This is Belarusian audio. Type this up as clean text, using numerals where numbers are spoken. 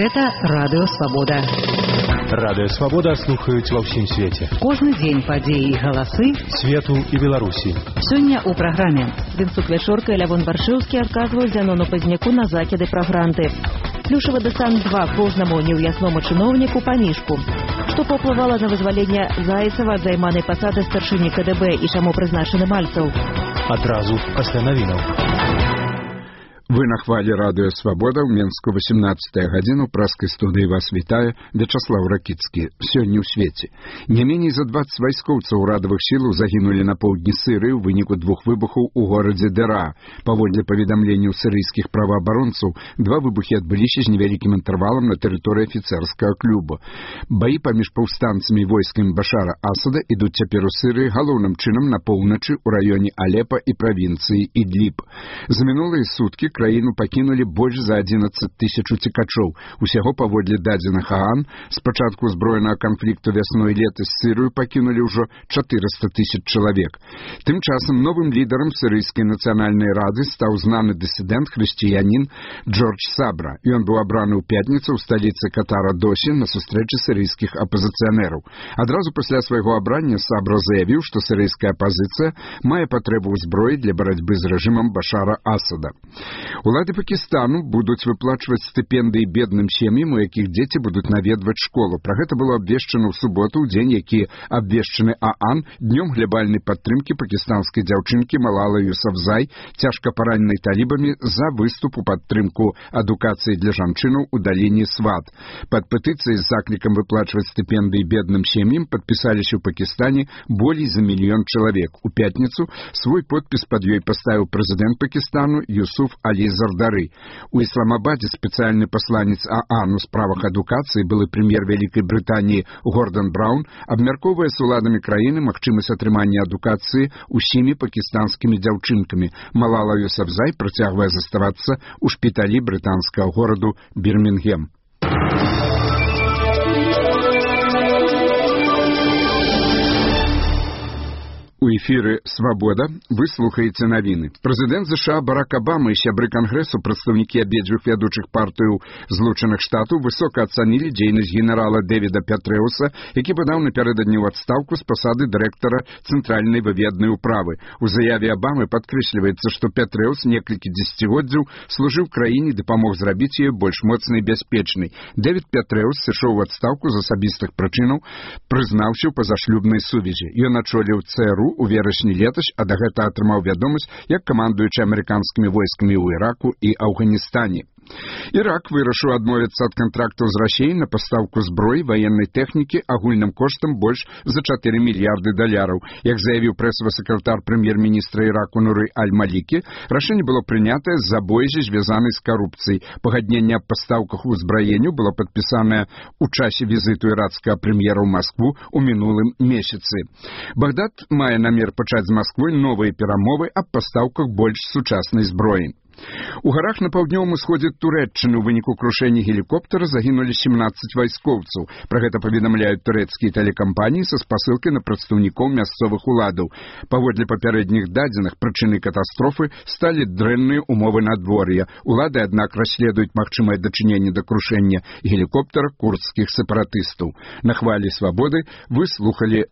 Гэта Радыё Свабода. Радыё Свабода слухаюць ва ўсім свеце. Кожны дзень падзеі і галасы свету і Беларусі. Сёння ў праграме Вінцук Вячорка і Лявон Баршыўскі адказваюць Зянону Пазняку на закіды пра гранты. Плюшавы дэсант 2 кожнаму неўясному чыноўніку паміжку. Што паўплывала на вызваленне Зайцева ад займанай пасады старшыні КДБ і чаму прызначаны Мальцаў? Адразу пасля навінаў. Вы на хвале Радыё Свабода ў Менску 18 гадзіну праскай студыі вас вітае Вячаслаў Ракіцкі. Сёння ў свеце. Не меней за 20 вайскоўцаў урадавых сілаў загінулі на поўдні Сырыі ў выніку двух выбухаў у горадзе Дэра. Паводле паведамленняў сірыйскіх праваабаронцаў, два выбухі адбыліся з невялікім інтэрвалам на тэрыторыі афіцэрскага клуба. Баі паміж паўстанцамі і войскамі Башара Асада ідуць цяпер у Сырыі галоўным чынам на поўначы ў раёне Алепа і правінцыі Ідліб. За мінулыя суткі краіну пакінулі больш за 11 тысяч уцекачоў. Усяго паводле дадзеных ААН з пачатку узброенага канфлікту вясной і летась Сырыю пакінулі ўжо 400 тысяч чалавек. Тым часам новым лідарам Сірыйскай нацыянальнай рады стаў знаны дысідэнт хрысціянін Джордж Сабра. Ён быў абраны ў пятніцу ў сталіцы Катара Дохі на сустрэчы сірыйскіх апазіцыянераў. Адразу пасля свайго абрання Сабра заявіў, што сірыйская апазіцыя мае патрэбу ў зброі для барацьбы з рэжымам Башара Асада. Улады Пакістану будуць выплачваць стыпендыі бедным сем'ям, у якіх дзеці будуць наведваць школу. Пра гэта было абвешчана ў суботу, у дзень, які абвешчаны ААН днём глябальнай падтрымкі пакістанскай дзяўчынкі Малалы Юсафзай, цяжка параненай талібамі за выступ у падтрымку адукацыі для жанчынаў у даліне Сват. Пад петыцыяй з заклікам выплачваць стыпендыі бедным сем'ям падпісаліся ў Пакістане болей за 1 мільён чалавек. У пятніцу свой подпіс пад ёй паставіў прэзідэнт Пакістану Юсуф Алі Зардары. У Ісламабадзе спецыяльны пасланец ААН у справах адукацыі, былы прэм'ер Вялікай Брытаніі Гордан Браўн, абмяркоўвае з уладамі краіны магчымасць атрымання адукацыі усімі пакістанскімі дзяўчынкамі. Малала Юсафзай працягвае заставацца ў шпіталі брытанскага гораду Бірмінгем. У эфіры «Свабода» вы слухаеце навіны. Прэзідэнт ЗША Барак Абама і сябры Кангрэсу, прадстаўнікі абедзвюх вядучых партыяў Злучаных Штатаў высока ацанілі дзейнасць генерала Дэвіда Пятрэуса, які падаў напярэдадні ў адстаўку з пасады дырэктара Цэнтральнай выведнай управы. У заяве Абамы падкрэсліваецца, што Пятрэус некалькі дзесяцігоддзяў служыў краіне, дапамог зрабіць яе больш моцнай і бяспечнай. Дэвід Пятрэус сышоў у адстаўку з асабістых прычынаў, прызнаўся ў пазашлюбнай сувязі. Ён ачоліў ЦРУ у верасні летась, а да гэта атрымаў вядомасць як камандуючы амерыканскімі войскамі ў Іраку і Афганістане. Ірак вырашыў адмовіцца ад кантрактаў з Расіяй на пастаўку зброі, ваеннай тэхнікі агульным коштам больш за 4 мільярды даляраў. Як заявіў прэсавы сакратар прэм'ер-міністра Іраку Нуры Аль-Малікі, рашэнне было прынятае з-за боязі, звязанай з карупцыяй. Пагадненне аб пастаўках узбраенню было падпісанае ў часе візіту ірацкага прэм'ера ў Маскву ў мінулым месяцы. Багдад мае намер пачаць з Масквой новыя перамовы аб пастаўках больш сучаснай зброі. У гарах на паўднёвым усходзе Турэччыны ў выніку крушэння гелікоптара загінулі 17 вайскоўцаў. Пра гэта паведамляюць турэцкія тэлекампаніі са спасылкай на прадстаўнікоў мясцовых уладаў. Паводле папярэдніх дадзеных, прычынай катастрофы сталі дрэнныя ўмовы надвор'я. Улады, аднак, расследуюць магчымае дачыненне да крушэння гелікоптара курдскіх сепаратыстаў. На хвалі Свабоды вы слухалі